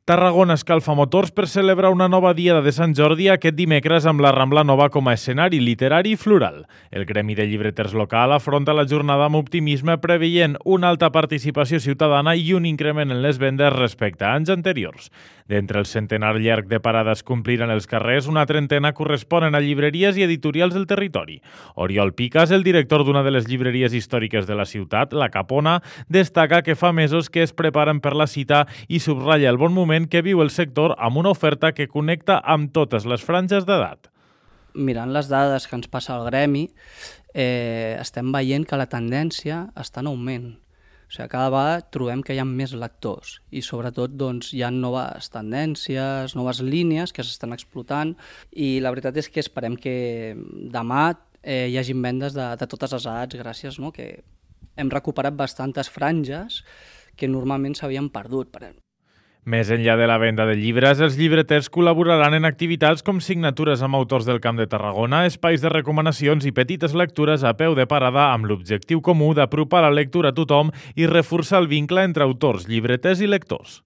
Tarragona escalfa motors per celebrar una nova Diada de Sant Jordi aquest dimecres amb la Rambla Nova com a escenari literari i floral. El Gremi de Llibreters local afronta la jornada amb optimisme preveient una alta participació ciutadana i un increment en les vendes respecte a anys anteriors. D'entre el centenar llarg de parades que ompliran els carrers, una trentena corresponen a llibreries i editorials del territori. Oriol Picas, el director d'una de les llibreries històriques de la ciutat, La Capona, destaca que fa mesos que es preparen per la cita i subratlla el bon moment que viu el sector amb una oferta que connecta amb totes les franges d'edat. Mirant les dades que ens passa al gremi, estem veient que la tendència està en augment. O sigui, cada vegada trobem que hi ha més lectors i sobretot hi ha noves tendències, noves línies que s'estan explotant i la veritat és que esperem que demà hi hagi vendes de totes les edats gràcies que hem recuperat bastantes franges que normalment s'havien perdut. Més enllà de la venda de llibres, els llibreters col·laboraran en activitats com signatures amb autors del Camp de Tarragona, espais de recomanacions i petites lectures a peu de parada amb l'objectiu comú d'apropar la lectura a tothom i reforçar el vincle entre autors, llibreters i lectors.